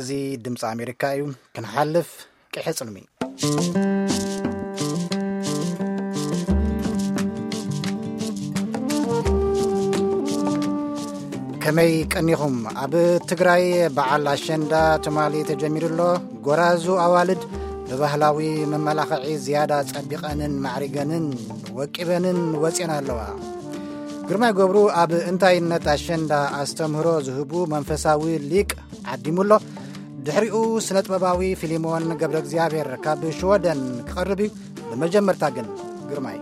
እዚ ድምፂ ኣሜሪካ እዩ። ክንሓልፍ ቅሐ ፅልሚ። ከመይ ቀኒኹም? ኣብ ትግራይ በዓል ኣሸንዳ ትማሊ ተጀሚሩ ኣሎ። ጎራዙ ኣዋልድ ብባህላዊ መመላኽዒ ዝያዳ ጸቢቐንን ማዕሪገንን ወቂበንን ወፅየን ኣለዋ። ግርማይ ገብሩ ኣብ እንታይነት ኣሸንዳ ኣስተምህሮ ዝህቡ መንፈሳዊ ሊቅ ዓዲሙ ኣሎ። ድሕሪኡ ስነ ጥበባዊ ፊሊሞን ገብረ እግዚኣብሔር ካብ ሽወደን ክቐርብ እዩ። ብመጀመርታ ግን ግርማይ።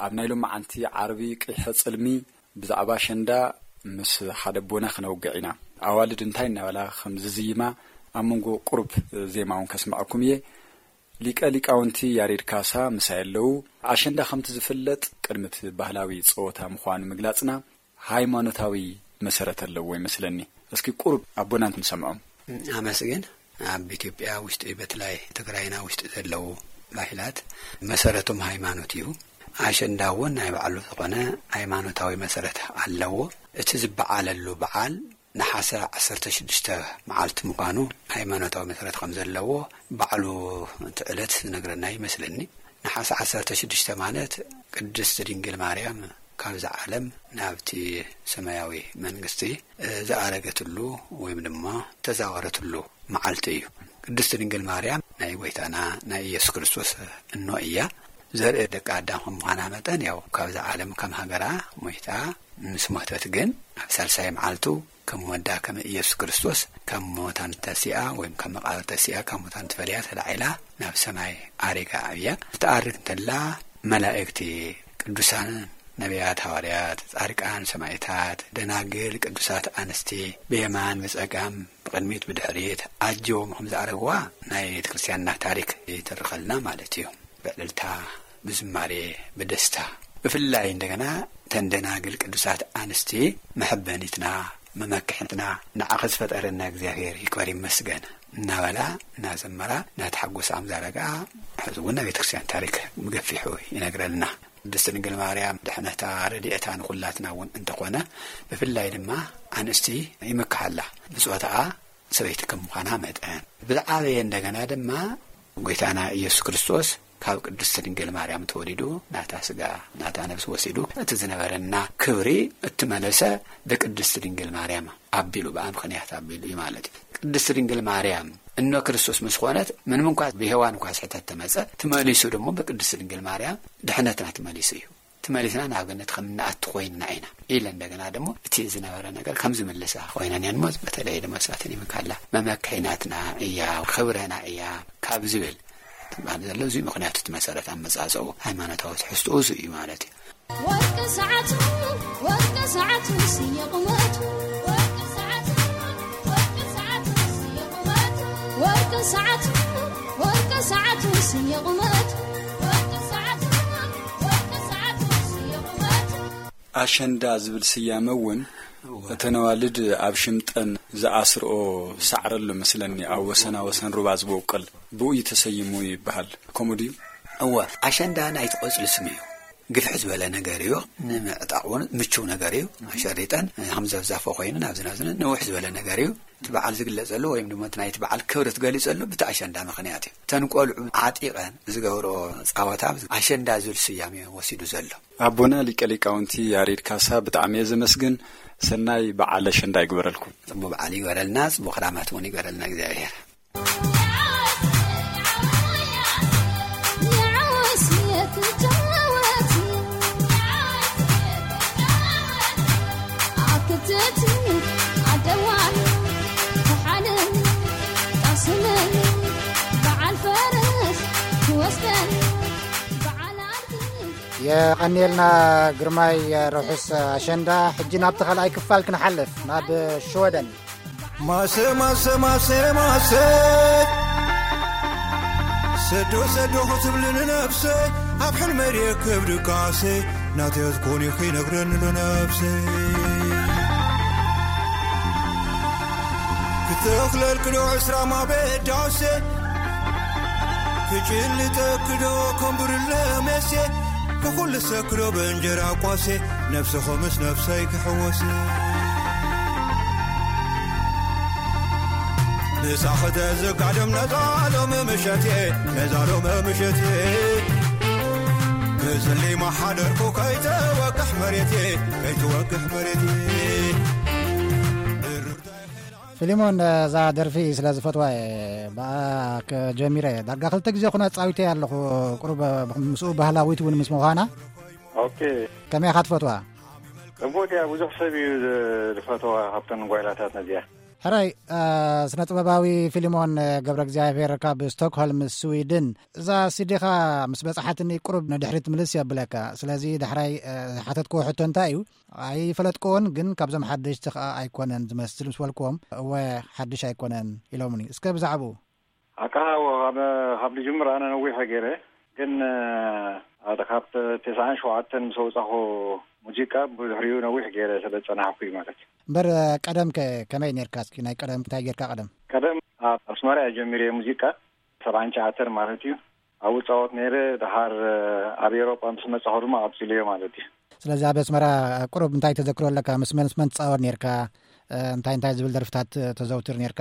ኣብ ናይ ሎማዓንቲ ዓርቢ ቅሐ ጽልሚ ብዛዕባ ኣሸንዳ ምስ ሓደ ኣቦና ክነውግዕ ኢና። ኣዋልድ እንታይ እናበላ ከም ዝዝይማ ኣብ መንጎ ቁሩብ ዜማ እውን ከስምዐኩም እየ። ሊቀ ሊቃውንቲ ያሬድ ካሳ ምሳይ ኣለዉ። ኣሸንዳ ከምቲ ዝፍለጥ ቅድሚ እቲ ባህላዊ ጸወታ ምዃኑ ምግላጽና፣ ሃይማኖታዊ መሰረት ኣለዎ ይመስለኒ። እስኪ ቁሩብ ኣቦና ንሰምዖም። ኣመስግን። ኣብ ኢትዮጵያ ውሽጢ፣ በትላይ ትግራይና ውሽጢ ዘለዉ ባህላት መሰረቶም ሃይማኖት እዩ። ኣሸንዳ እውን ናይ ባዕሉ ዝኾነ ሃይማኖታዊ መሰረት ኣለዎ። እቲ ዝበዓለሉ በዓል ነሓሰ ዓሰርተ ሽዱሽተ መዓልቲ ምዃኑ፣ ሃይማኖታዊ መሰረት ከም ዘለዎ ባዕሉ እቲ ዕለት ዝነግረና ይመስለኒ። ነሓሰ ዓሰርተ ሽዱሽተ ማለት ቅድስት ድንግል ማርያም ካብዛ ዓለም ናብቲ ሰማያዊ መንግስቲ ዝኣረገትሉ ወይም ድማ ተዛወረትሉ መዓልቲ እዩ። ቅድስት ድንግል ማርያም ናይ ጎይታና ናይ ኢየሱስ ክርስቶስ እኖ እያ። ዘርኢ ደቂ ኣዳም ከም ምዃና መጠን፣ ያው ካብዛ ዓለም ከም ሃገራ ሞይታ፣ ምስ ሞተት ግን ኣብ ሳልሳይ መዓልቱ ከም ወዳ ከም ኢየሱስ ክርስቶስ ካብ ሙታን ተሲኣ ወይም ካብ መቓብር ተሲኣ ካብ ሙታን ተፈልያ ተላዒላ ናብ ሰማይ ኣሪጋ እያ። ክትኣርግ እንተላ መላእክቲ፣ ቅዱሳን ነቢያት፣ ሃዋርያት፣ ጻድቃን፣ ሰማዕታት፣ ደናግል፣ ቅዱሳት ኣንስቲ ብየማን ብጸጋም ብቕድሚት ብድሕሪት ኣጅቦም ከም ዝኣረግዋ ናይ ቤተ ክርስቲያንና ታሪክ ይትርኸልና ማለት እዩ። ብዕልልታ፣ ብዝማሬ፣ ብደስታ፣ ብፍላይ እንደገና እተን ደናግል ቅዱሳት ኣንስቲ መሐበኒትና፣ መመክሕትና፣ ንዓኺ ዝፈጠረና እግዚኣብሔር ይክበር ይመስገን እናበላ እናዘመራ እናተሓጎሳ ከም ዘረግኣ ሕዚ እውን ናይ ቤተክርስትያን ታሪክ ብገፊሑ ይነግረልና። ቅድስት ድንግል ማርያም ድሕነታ ረድኤታ ንኹላትና እውን እንተኾነ፣ ብፍላይ ድማ ኣንስቲ ይምክሓላ። ብጾታኣ ሰበይቲ ከም ምዃና መጠን፣ ብዝዓበየ እንደገና ድማ ጎይታና ኢየሱስ ክርስቶስ ካብ ቅድስት ድንግል ማርያም ተወሊዱ ናታ ስጋ ናታ ነብሲ ወሲዱ፣ እቲ ዝነበረና ክብሪ እትመለሰ ብቅድስት ድንግል ማርያም ኣቢሉ፣ ብኣ ምኽንያት ኣቢሉ እዩ ማለት እዩ። ቅድስት ድንግል ማርያም እኖ ክርስቶስ ምስ ኾነት፣ ምንም እንኳ ብሔዋን እንኳ ስሕተት ተመጸ፣ ትመሊሱ ደግሞ ብቅድስት ድንግል ማርያም ድሕነትና ትመሊሱ እዩ። ትመሊስና ናብ ገነት ከም እንኣቱ ኮይንና ኢና ኢለ፣ እንደገና ደግሞ እቲ ዝነበረ ነገር ከም ዝምልሳ ኮይነን እየን። እሞ በተለይ ድማ እሳተን ይምካላ መመክሒ ናትና እያ፣ ክብረና እያ ካብ ዝብል ትባል ዘሎ፣ እዚ ምኽንያቱ እቲ መሰረት ኣመጻጽኡ ሃይማኖታዊ ትሕዝትኡ እዚ እዩ ማለት እዩ። ወርቂ ሰዓቱ፣ ወርቂ ሰዓቱ ስየቑመቱ፣ ወርቂ ሰዓቱ፣ ወርቂ ሰዓቱ ስየቑመቱ፣ ወርቂ ሰዓቱ፣ ወርቂ ሰዓቱ ስየቑመቱ፣ ወርቂ ሰዓቱ፣ ወርቂ ሰዓቱ ስየቑመቱ። ኣሸንዳ ዝብል ስያመ እውን እወ። እተን ኣዋልድ ኣብ ሽምጠን ዝኣስርኦ ሳዕሪ ኣሎ መስለኒ፣ ኣብ ወሰና ወሰን ሩባ ዝበቁል፣ ብኡ እዩ ተሰይሙ ይበሃል። ከምኡ ድዩ? እወ፣ ኣሸንዳ ናይቲ ቆጽሊ ስም እዩ። ግፍሕ ዝበለ ነገር እዩ። ንምዕጣቕ እውን ምቹው ነገር እዩ። ኣሸሪጠን ከም ዘብዛፎ ኮይኑ ናብዚ ናብዚ ነውሕ ዝበለ ነገር እዩ። እቲ በዓል ዝግለጸሉ ወይም ድማ እቲ ናይቲ በዓል ክብሪ ትገሊጸሉ ብቲ ኣሸንዳ ምኽንያት እዩ። እተን ቆልዑ ዓጢቐን ዝገብርኦ ጻወታ ኣሸንዳ ዝብል ስያሜ ወሲዱ ዘሎ። ኣቦና ሊቀ ሊቃውንቲ ያሬድ ካሳ ብጣዕሚ እየ ዘመስግን። ሰናይ በዓል ኣሸንዳ ይግበረልኩም። ጽቡቕ በዓል ይግበረልና፣ ጽቡቕ ክራማት እውን ይግበረልና እግዚኣብሔር። የቐንየልና ግርማይ፣ ርሑስ ኣሸንዳ። ሕጂ ናብቲ ካልኣይ ክፋል ክንሓልፍ፣ ናብ ሽወደን። ማሰ፣ ማሰ፣ ማሰ፣ ማሰ። ሰዶ ሰዶ ክትብል ንነፍሰይ ኣብ ሕልመይ ርየክብ ድቃሰይ ናተይ ክትኮኒ ክይነግረኒ ዶ ነፍሰይ ክተኽለልክዶ ዕስራ ማበዳሴ ክጭልጠክዶ ከም ብርለ መሴ ንኹሉ ሰክዶ ብእንጀራ ቋሴ ነፍስኹምስ ነፍሰይ ክሕወስ ምሳኽተ ዝጋደም ነዛ ሎም ምሸቴ ነዛ ሎም ምሸቴ ብዝሊ ማሓደርኩ ከይትወቅሕ መሬቴ ከይትወቅሕ መሬቴ ፊሊሞን፣ እዛ ደርፊ ስለ ዝፈትዋ እየ ብኣ ጀሚረ። ዳርጋ ክልተ ግዜ ኩና ጻዊተ ኣለኹ። ቁሩብ ምስኡ ባህላዊት እውን ምስ ምዃና። ኦኬ። ከመይ ኢኻ ትፈትዋ? ጽቡቅ እያ። ብዙሕ ሰብ እዩ ዝፈትዋ ካብተን ጓይላታት ነዚኣ። ሕራይ፣ ስነ ጥበባዊ ፊሊሞን ገብረ እግዚኣብሔር ካብ ስቶክሆልም ስዊድን፣ እዛ ሲዲኻ ምስ በጻሓትኒ ቁሩብ ንድሕሪት ምልስ የብለካ። ስለዚ ዳሕራይ ዝሓተትክዎ ሕቶ እንታይ እዩ? ኣይፈለጥክዎን፣ ግን ካብዞም ሓደሽቲ ኸኣ ኣይኮነን ዝመስል ምስ በልክዎም፣ እወ ሓድሽ ኣይኮነን ኢሎምኒ። እስከ ብዛዕባኡ። ኣቃ ካብ ካብ ዝጅምር ኣነ ነዊሐ ገይረ፣ ግን ካብ ተስዓን ሸውዓተን ምስ ኣውጻኹ ሙዚቃ ብድሕሪኡ ነዊሕ ገይረ ስለ ዝጸናሕኩ እዩ ማለት እዩ። እምበር ቀደም ከ ከመይ ኔርካ? እስኪ ናይ ቀደም እንታይ ጌርካ ቀደም? ቀደም ኣብ ኣስመራ እየ ጀሚረ ሙዚቃ ሰብዓን ትሽዓተን ማለት እዩ። ኣብኡ እጻወት ነይረ። ድሓር ኣብ ኤውሮጳ ምስ መጻኹ ድማ ቀጺለዮ ማለት እዩ። ስለዚ ኣብ ኣስመራ ቁሩብ እንታይ ተዘክሮ ኣለካ? ምስ መን ምስ መን ትጻወት ኔርካ? እንታይ እንታይ ዝብል ደርፍታት ተዘውትር ኔርካ?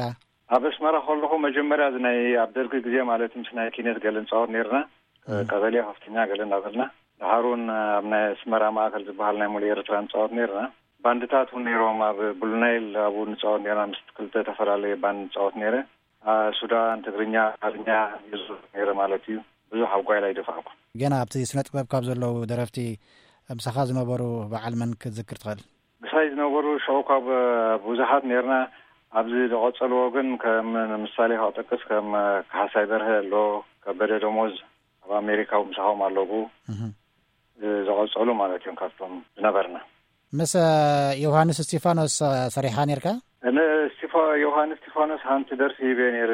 ኣብ ኣስመራ ከለኹ መጀመርያ እዚ ናይ ኣብ ደርጊ ግዜ ማለት ምስ ናይ ኪነት ገለ ንጻወት ኔርና። ቀበሌ ከፍተኛ ገለ እናበልና። ድሓር እውን ኣብ ናይ ኣስመራ ማእከል ዝበሃል ናይ ሙሉእ ኤርትራ ንጻወት ኔርና። ባንድታት እውን ነይሮም። ኣብ ብሉናይል ኣብኡ ንጻወት ኔርና። ምስ ክልተ ተፈላለየ ባንድ ንጻወት ነይረ። ሱዳን፣ ትግርኛ፣ ኣማርኛ ይዝውር ነይረ ማለት እዩ። ብዙሕ ኣብ ጓይላ ኣይደፋእኩን። ገና ኣብቲ ስነ ጥበብ ካብ ዘለዉ ደረፍቲ ምሳኻ ዝነበሩ በዓል መን ክትዝክር ትኽእል? ምሳይ ዝነበሩ ሽዑ ካብ ብዙሓት ነይርና። ኣብዚ ዝቐጸልዎ ግን ከም ንምሳሌ ክጠቅስ ከም ካሕሳይ በርሀ ኣሎ፣ ከበደ ደሞዝ ኣብ ኣሜሪካ ምሳኹም ኣለዉ። ዝቐጸሉ ማለት እዮም ካብቶም ዝነበርና። ምስ ዮሃንስ እስቲፋኖስ ሰሪሓ ኔርካ? ዮሃንስ እስቲፋኖስ ሓንቲ ደርፊ ሂበ ነይረ፣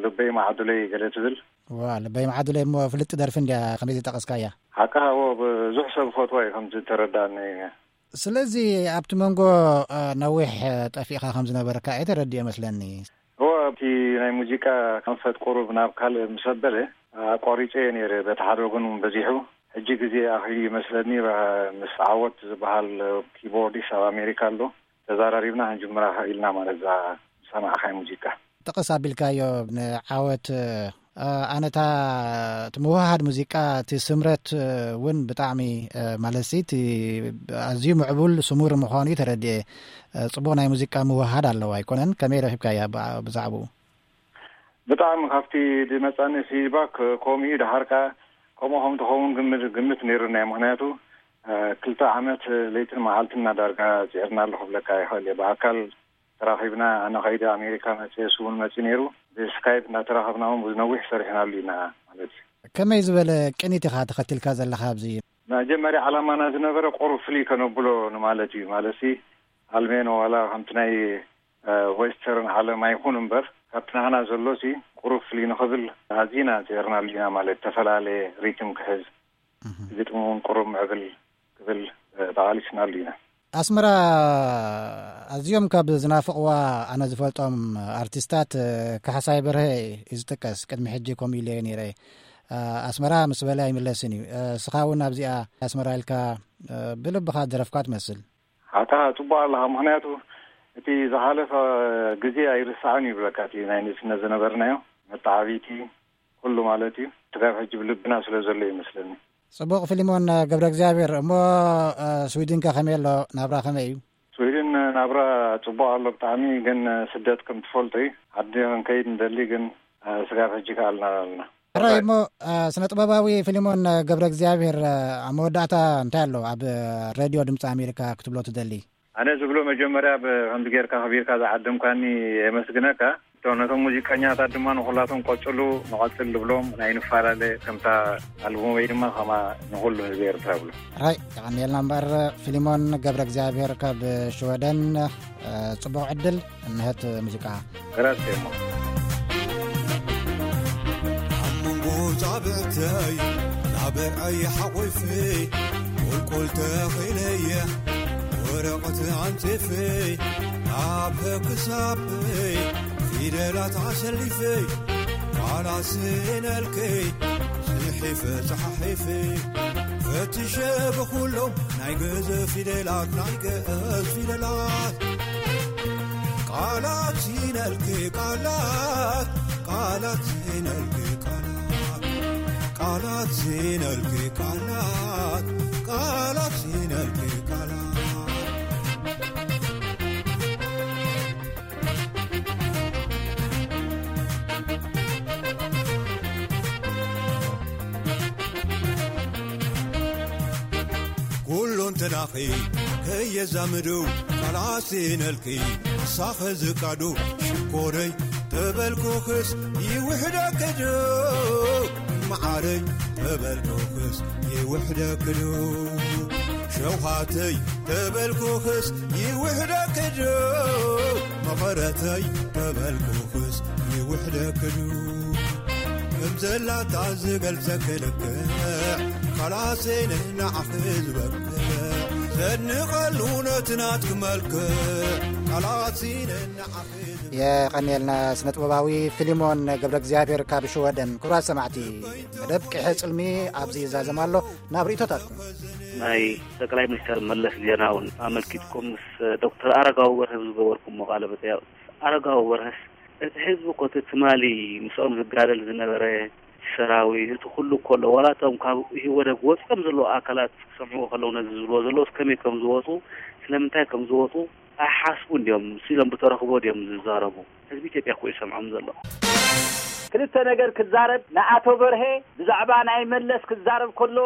ልበይ ማዕዱለይ ገለ ትብል። ዋ፣ ልበይ ማዕዱለይ እሞ ፍልጥቲ ደርፊ እንድያ ከመይ ዝጠቐስካያ። ሓቅኻ እዎ፣ ብዙሕ ሰብ ዝፈትዋ እዩ ከምቲ ተረዳእኒ። ስለዚ ኣብቲ መንጎ ነዊሕ ጠፊእኻ ከም ዝነበርካ እየ ተረዲኦ መስለኒ። እዎ፣ ኣብቲ ናይ ሙዚቃ ከንፈት ቁሩብ ናብ ካልእ ምስ ኣበለ ኣቋሪጸዮ ነይረ። በቲ ሓደ ወገን እውን በዚሑ። ሕጂ ግዜ ኣኺሉ ይመስለኒ፣ ምስ ዓወት ዝበሃል ኪቦርዲስት ኣብ ኣሜሪካ ኣሎ። ተዛራሪብና ክንጅምራ ኢልና ማለት እዛ ዝሰማዕኻይ ሙዚቃ። ጥቕስ ኣቢልካዮ ንዓወት። ኣነታ እቲ ምውህሃድ ሙዚቃ እቲ ስምረት እውን ብጣዕሚ ማለት እቲ ኣዝዩ ምዕቡል ስሙር ምዃኑ እዩ ተረድኤ። ጽቡቕ ናይ ሙዚቃ ምውህሃድ ኣለዎ ኣይኮነን? ከመይ ረኺብካያ ብዛዕባኡ? ብጣዕሚ ካብቲ ዝመጻኒ ፊድባክ ከምኡ እዩ። ድሓር ከኣ ከምኡ ከም ትኸውን ግምት ግምት ነይሩና እዩ። ምኽንያቱ ክልተ ዓመት ለይትን መዓልትን እና ዳርጋ ጽዒርና ኣሎ ክብለካ ይኽእል እየ። ብኣካል ተራኺብና፣ ኣነ ከይደ ኣሜሪካ መጽየ፣ እሱ እውን መጺኡ ነይሩ። ብስካይፕ እናተራኸብና እውን ብዙ ነዊሕ ሰሪሕናሉ ኢና ማለት እዩ። ከመይ ዝበለ ቅኒት ኢኻ ተኸቲልካ ዘለኻ ኣብዚ? መጀመርያ ዓላማና ዝነበረ ቁሩብ ፍልይ ከነብሎ ንማለት እዩ። ማለትሲ ኣልሜኖ ዋላ ከምቲ ናይ ዌስተርን ዓለም ኣይኹን እምበር ካብቲ ናህና ዘሎሲ ቁሩብ ፍልይ ንኽብል ኣዚና ጽዒርናሉ ኢና። ማለት ዝተፈላለየ ሪትም ክሕዝ፣ ግጥሚ እውን ቁሩብ ምዕብል ክብል ተቓሊስናሉ ኢና። ኣስመራ ኣዝዮም ካብ ዝናፍቕዋ ኣነ ዝፈልጦም ኣርቲስታት ካሕሳይ በርሀ እዩ ዝጥቀስ። ቅድሚ ሕጂ ከምኡ ኢለዮ ነይረ። ኣስመራ ምስ በለ ኣይምለስን እዩ። እስኻ እውን ኣብዚኣ ኣስመራ ኢልካ ብልብኻ ዝደረፍካ ትመስል። ሓቅኻ ጽቡቕ ኣለኻ። ምኽንያቱ እቲ ዝሓለፈ ግዜ ኣይርሳዕን እዩ ይብለካ። እቲ ናይ ንእስነት ዝነበርናዮ መተዓብይቲ ኩሉ ማለት እዩ። ስጋብ ሕጂ ብልብና ስለ ዘሎ እዩ መስለኒ። ጽቡቕ ፊልሞን ገብረ እግዚኣብሔር። እሞ ስዊድንከ ከመይ ኣሎ? ናብራ ከመይ እዩ? ስዊድን ናብራ ጽቡቕ ኣሎ ብጣዕሚ፣ ግን ስደት ከም ትፈልጦ እዩ። ዓዲ ክንከይድ ንደሊ፣ ግን ስጋብ ሕጂ ከኣልና ኣለና። ሕራይ እሞ ስነ ጥበባዊ ፊልሞን ገብረ እግዚኣብሔር፣ ኣብ መወዳእታ እንታይ ኣሎ ኣብ ሬድዮ ድምፂ ኣሜሪካ ክትብሎ ትደሊ? ኣነ ዝብሎ መጀመርያ ብ- ከምዚ ጌርካ ከቢርካ ዝዓደምካኒ የመስግነካ። እቶ- ነቶም ሙዚቀኛታት ድማ ንኹላቶም ቀጽሉ፣ ንቐጽል ዝብሎም ናይ ንፈላለ ከምታ ኣልቡመይ ድማ ከማ ንኹሉ ህዝቢ ኤርትራ ብሎ። ራይ የቐንየልና እምበር ፊሊሞን ገብረ እግዚኣብሔር ካብ ሽወደን፣ ጽቡቕ ዕድል። እንሀት ሙዚቃ። ራስቴሞ ኣብ መንጎ ተይ ናብዐይ ሓቆይፈይ ቁልቁል ተኺለየ ወረቐት ኣንጺፈይ ኣብ ክሳበይ ፊደላት ኣሰሊፈይ ቃላት ስኢነልከይ ጽሒፈ ጸሓሒፈ ፈትሸ ብኹሎም ናይ ግእዝ ፊደላት ናይ ግእዝ ፊደላት ቃላት ስኢነልከይ ቃላት ቃላት ስኢነልከይ ቃላት ቃላት ስኢነልከይ ቃላት ቃላት ስኢነልከይ ቃላት ኩሉ እንተዳኺ ከየዛምዱ ቃላት ስኢነልኪ ንሳኸ ዝቃዱ ሽኮረይ ተበልኩኽስ ይውሕደክዱ መዓረይ ተበልኩኽስ ይውሕደክዱ ሸውሃተይ ተበልኩኽስ ይውሕደክዱ መቐረተይ ተበልኩኽስ ይውሕደክዱ ከም ዘላታ ዝገልጸ ክልክዕ ቃላት ስኢነ ንዓኺ ዝበቅዕ ዘድንቐሉ ነቲ ናትኪ መልክዕ ቃላት ስኢነ ንዓኺ ዝበቅዕ የቐንየልና ስነ ጥበባዊ ፊሊሞን ገብረ እግዚኣብሔር ካብ ሽወደን። ክቡራት ሰማዕቲ፣ መደብ ቅሐ ጽልሚ ኣብዚ ይዛዘም ኣሎ። ናብ ርእይቶታትኩም። ናይ ጠቅላይ ሚኒስተር መለስ ዜናውን ኣመልኪትኩም ምስ ዶክተር ኣረጋዊ በርሀ ዝገበርኩሞ ቃለ መጠይቕ፣ ኣረጋዊ በርሀስ እቲ ህዝቢ እኮ እቲ ትማሊ ምስኦም ዝጋደል ዝነበረ ሰራዊት እቲ ኩሉ እኮ ኣሎ። ዋላ እቶም ካብ ኢህወደግ ወፂኦም ዘለዉ ኣካላት ክሰምዕዎ ከለዉ ነዚ ዝብልዎ ዘለዉ ከመይ ከም ዝወፁ ስለምንታይ ከም ዝወፁ ኣይሓስቡን ድዮም? ስኢሎም ብተረኽቦ ድዮም ዝዛረቡ? ህዝቢ ኢትዮጵያ እኮ ይሰምዖም ዘሎ። ክልተ ነገር ክዛረብ ንኣቶ በርሄ ብዛዕባ ናይ መለስ ክዛረብ ከሎ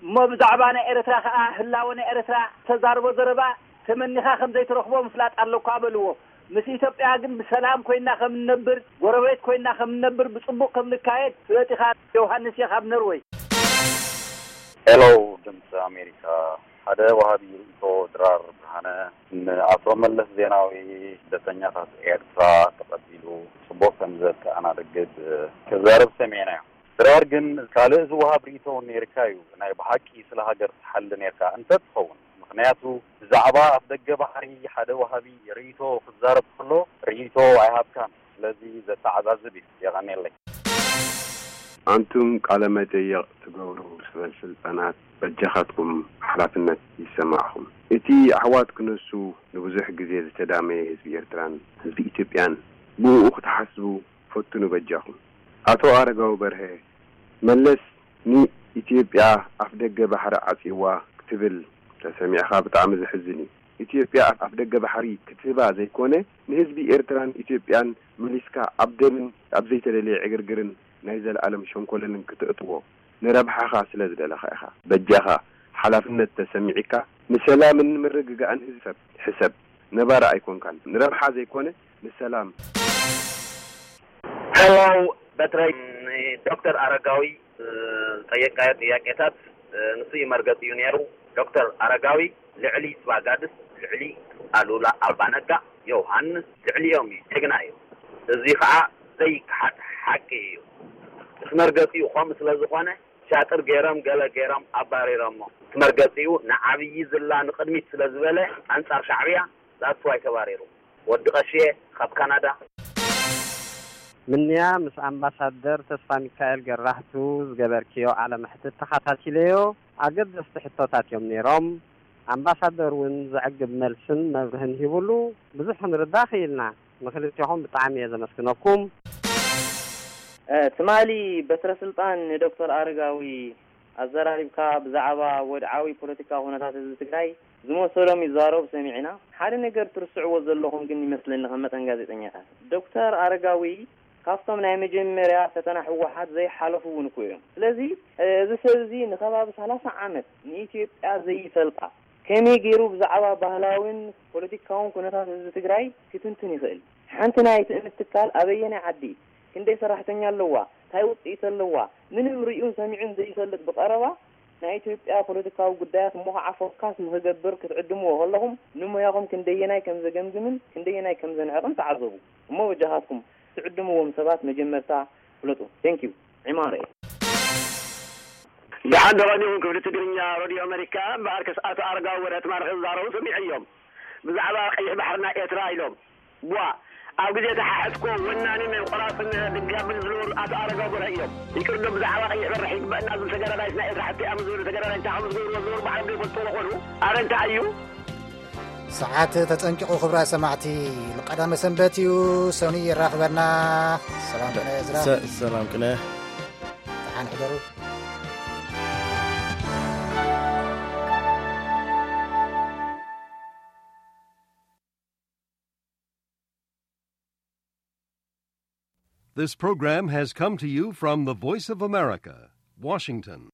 እሞ ብዛዕባ ናይ ኤርትራ ከኣ ህላወ ናይ ኤርትራ ተዛርቦ ዘረባ ተመኒኻ ከም ዘይትረኽቦ ምፍላጥ ኣለኳ በልዎ። ምስ ኢትዮጵያ ግን ብሰላም ኮይና ከም ንነብር፣ ጎረቤት ኮይና ከም ንነብር፣ ብጽቡቕ ከም ንካየድ ፍለጥ ኢኻ። ዮሃንስ እየ ካብ ኖርወይ። ሄሎ ድምፂ ኣሜሪካ፣ ሓደ ወሃቢ ርእይቶ ድራር ብርሃነ ንኣቶ መለስ ዜናዊ ስደተኛታት ኤርትራ ተቐቢሉ ጽቡቕ ከም ዘተኣናግድ ክዛረብ ሰሚዕናዮ። ድራር ግን ካልእ ዝወሃብ ርእይቶ እውን ነይርካ እዩ። ናይ ብሓቂ ስለ ሃገር ትሓሊ ነይርካ እንተ ትኸውን። ምኽንያቱ ብዛዕባ ኣፍደገ ባሕሪ ሓደ ወሃቢ ርእይቶ ክዛረብ ከሎ ርእይቶ ኣይሃብካን። ስለዚ ዘተዓዛዝብ እዩ። የቐንየለይ። ኣንቱም ቃለ መጠይቕ ትገብሩ ሰበል ስልጣናት በጃኻትኩም ሓላፍነት ይሰማዕኹም። እቲ ኣሕዋት ክነሱ ንብዙሕ ግዜ ዝተዳመየ ህዝቢ ኤርትራን ህዝቢ ኢትዮጵያን ብእኡ ክትሓስቡ ፈትኑ በጃኹም። ኣቶ ኣረጋዊ በርሀ መለስ ንኢትዮጵያ ኣፍደገ ባሕሪ ዓጽይዋ ክትብል ተሰሚዕኻ ብጣዕሚ ዘሕዝን እዩ። ኢትዮጵያ ኣፍደገ ባሕሪ ክትህባ ዘይኮነ ንህዝቢ ኤርትራን ኢትዮጵያን መሊስካ ኣብ ደምን ኣብ ዘይተደለየ ዕግርግርን ናይ ዘለኣለም ሸንኮለልን ክተእትዎ ንረብሓኻ ስለ ዝደለኻ ኢኻ። በጃኻ ሓላፍነት ተሰሚዒካ ንሰላምን ምርግጋእን ህዝቢ ሰብ ሕሰብ። ነባሪ ኣይኮንካን። ንረብሓ ዘይኮነ ንሰላም። ሄሎ በትረይ ንዶክተር ኣረጋዊ ዝጠየቅካዮ ጥያቄታት ንሱ እዩ መርገፂኡ ነይሩ። ዶክተር ኣረጋዊ ልዕሊ ስባጋድስ፣ ልዕሊ ኣሉላ ኣባነጋ፣ ዮውሃንስ ልዕሊኦም እዩ። ጅግና እዩ። እዚ ከዓ ዘይከሓድ ሓቂ እዩ። ምስ መርገፂኡ ከምኡ ስለዝኾነ ሻጥር ገይሮም ገለ ገይሮም ኣባሪሮሞ። ምስ መርገፂኡ ንዓብዪ ዝላ ንቕድሚት ስለዝበለ ኣንፃር ሻዕብያ that's why ተባሪሩ። ወዲ ቀሽየ ካብ ካናዳ። ምንያ ምስ ኣምባሳደር ተስፋሚካኤል ገራህቱ ዝገበርክዮ ቃለ መሕትት ተኸታቲለዮ። ኣገደስቲ ሕቶታት እዮም ነይሮም። ኣምባሳደር እውን ዘዕግብ መልስን መብርህን ሂቡሉ። ብዙሕ ክንርዳእ ክኢልና። ንኽልቲኹም ብጣዕሚ እየ ዘመስግነኩም። ትማሊ በትረ ስልጣን ንዶክተር ኣረጋዊ ኣዘራሪብካ ብዛዕባ ወድዓዊ ፖለቲካዊ ኩነታት ህዝቢ ትግራይ ዝመሰሎም ይዛረቡ ሰሚዕና። ሓደ ነገር ትርስዕዎ ዘለኹም ግን ይመስለኒ ከም መጠን ጋዜጠኛታት። ዶክተር ኣረጋዊ ካብቶም ናይ መጀመርያ ፈተና ህወሓት ዘይሓለፉ እውን እኮ እዮም። ስለዚ እዚ ሰብ እዚ ንከባቢ ሰላሳ ዓመት ንኢትዮጵያ ዘይፈልጣ ከመይ ገይሩ ብዛዕባ ባህላዊን ፖለቲካውን ኩነታት ህዝቢ ትግራይ ክትንትን ይኽእል? ሓንቲ ናይ ትእምት ትካል ኣበየናይ ዓዲ፣ ክንደይ ሰራሕተኛ ኣለዋ፣ ታይ ውፅኢት ኣለዋ፣ ምንም ሪኡን ሰሚዑን ዘይፈልጥ ብቐረባ ናይ ኢትዮጵያ ፖለቲካዊ ጉዳያት እሞ ከዓ ፎካስ ንክገብር ክትዕድምዎ ከለኹም ንሞያኹም ክንደየናይ ከም ዘገምግምን ክንደየናይ ከም ዘንዕቕን ተዓዘቡ። እሞ በጃኻትኩም ትዕድምዎም ሰባት መጀመርታ ፍለጡ። Thank you. ዒማረ እየ። ደሓን ዶ ቀኒኹም ክፍሊ ትግርኛ ሬድዮ ኣመሪካ? እምበኣርከስ ኣቶ ኣረጋዊ ወረ ትማሊ ክዛረቡ ሰሚዐዮም። ብዛዕባ ቀይሕ ባሕሪ ናይ ኤርትራ ኢሎም። ቧ፣ ኣብ ግዜ ተሓሕትኮ ወናኒ ናይ ቆራጽን ድጋምን ዝነበሩ ኣቶ ኣረጋዊ በርሀ እዮም። ይቅርዶ ብዛዕባ ቀይሕ በርሕ ይግበእና ዝብል ተጋዳላይስ ናይ ኤርትራ ሓቲ ኣም ዝብል ተጋዳላይ እንታይ ከም ዝገብርዎ ዝነበሩ ባዕሎም ዘይፈልጥዎ ዝኾኑ? ኣረ እንታይ እዩ? ሰዓት ተጸንቂቑ ክብራ ሰማዕቲ። ቀዳመ ሰንበት እዩ። ሰኑይ የራኽበና። ሰላም ቅነ እዝራ። ሰ-፣ ሰላም ቅነ። ደሓን ሕደሩ። This program has come to you from the Voice of America, Washington.